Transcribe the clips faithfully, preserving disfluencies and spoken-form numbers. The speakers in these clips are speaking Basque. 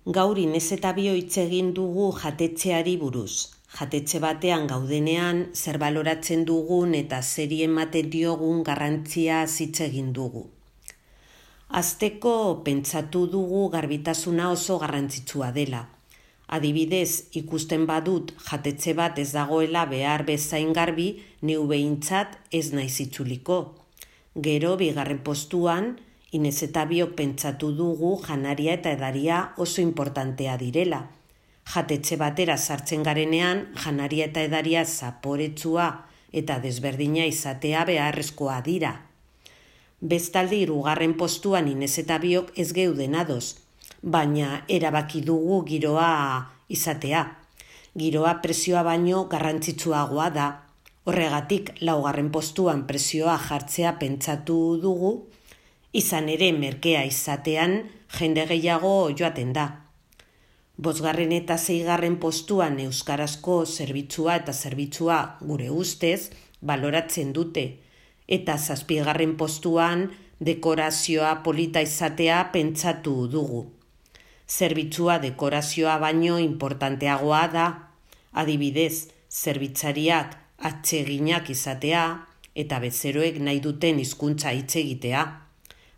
Gaur Inez eta Bio hitz egin dugu jatetxeari buruz. Jatetxe batean gaudenean zer baloratzen dugun eta zeri ematen diogun garrantzia hitz egin dugu. Hasteko pentsatu dugu garbitasuna oso garrantzitsua dela. Adibidez, ikusten badut jatetxe bat ez dagoela behar bezain garbi, neu behintzat ez naiz itzuliko. Gero bigarren postuan, Inez eta Biok pentsatu dugu janaria eta edaria oso importantea direla. Jatetxe batera sartzen garenean, janaria eta edaria zaporetsua eta desberdina izatea beharrezkoa dira. Bestalde hirugarren postuan Inez eta Biok ez geuden ados, baina erabaki dugu giroa izatea. Giroa prezioa baino garrantzitsuagoa da. Horregatik laugarren postuan prezioa jartzea pentsatu dugu, izan ere merkea izatean jende gehiago joaten da. Bosgarren eta seigarren postuan euskarazko zerbitzua eta zerbitzua gure ustez baloratzen dute, eta zazpigarren postuan dekorazioa polita izatea pentsatu dugu. Zerbitzua dekorazioa baino importanteagoa da, adibidez, zerbitzariak atseginak izatea eta bezeroek nahi duten hizkuntza hitz egitea.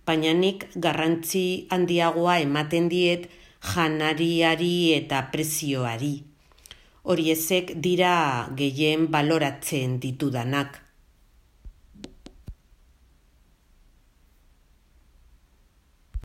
Baina nik garrantzi handiagoa ematen diet janariari eta prezioari. Horiezek dira gehien baloratzen ditudanak.